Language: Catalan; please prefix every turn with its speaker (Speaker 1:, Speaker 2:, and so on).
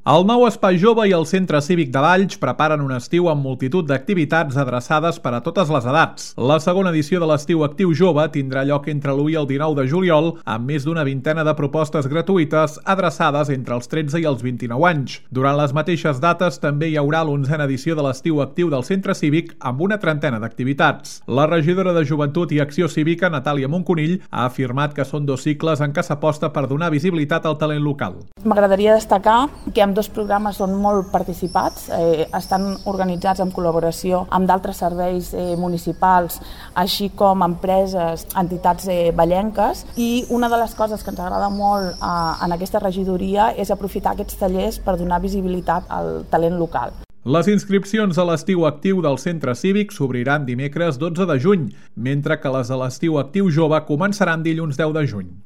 Speaker 1: El nou Espai Jove i el Centre Cívic de Valls preparen un estiu amb multitud d'activitats adreçades per a totes les edats. La segona edició de l'Estiu Actiu Jove tindrà lloc entre l'1 i el 19 de juliol, amb més d'una vintena de propostes gratuïtes adreçades entre els 13 i els 29 anys. Durant les mateixes dates també hi haurà l'11a edició de l'Estiu Actiu del Centre Cívic amb una trentena d'activitats. La regidora de Joventut i Acció Cívica, Natàlia Monconill, ha afirmat que són dos cicles en què s'aposta per donar visibilitat al talent local.
Speaker 2: M'agradaria destacar que ambdós programes són molt participats, estan organitzats en col·laboració amb d'altres serveis municipals, així com empreses, entitats vallenques, i una de les coses que ens agrada molt en aquesta regidoria és aprofitar aquests tallers per donar visibilitat al talent local.
Speaker 1: Les inscripcions a l'Estiu Actiu del Centre Cívic s'obriran dimecres 12 de juny, mentre que les de l'Estiu Actiu Jove començaran dilluns 10 de juny.